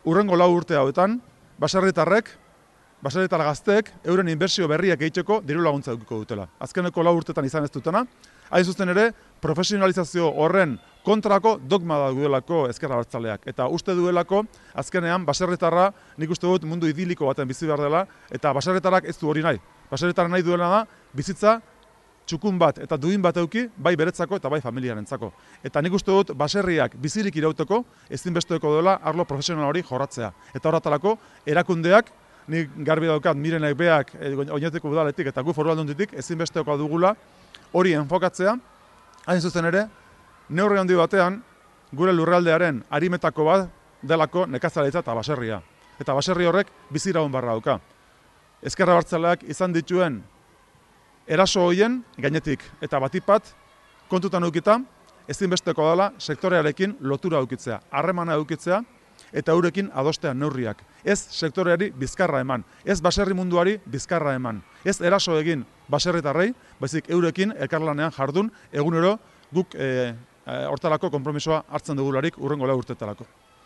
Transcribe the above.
urrengo 4 urte hauetan, baserritar gazteek euren inbertsio berriak egiteko diru laguntza edukiko dutela. Azkeneko 4 urtetan izan ez dutena, hain zuzen ere, profesionalizazio horren kontrako dogma duelako ezker abertzaleak. Eta uste duelako, azkenean, baserritarra nik uste dut mundu idiliko baten bizi behar dela, eta baserritarrak ez du hori nahi. Baserritarra nahi duela da, bizitza txukun bat eta duin bat eduki, bai beretzako eta bai familiarentzako. Eta nik uste dut baserriak bizirik irauteko ezinbesteko dela arlo profesional hori jorratzea. Eta horretarako erakundeak, nik garbi daukat Mirenek beak Oñatiko udaletik eta gu Foru Aldunditik ezinbesteko dugula hori enfokatzea, hain zuzen ere, neurri handi batean gure lurraldearen arimetako bat delako nekazaritza eta baserria. Eta baserri horrek biziraun barra dauka. Ezker abertzaleak izan dituen eraso hoien gainetik eta batipat kontutan edukita ezinbesteko dela sektorearekin lotura edukitzea, harremana edukitzea eta eurekin adostean neurriak. Ez sektoreari bizkarra eman, ez baserri munduari bizkarra eman, ez eraso egin baserritarrei, baizik eurekin elkarlanean jardun egunero guk hortarako konpromisoa hartzen dugularik urrengo 4 urteetarako.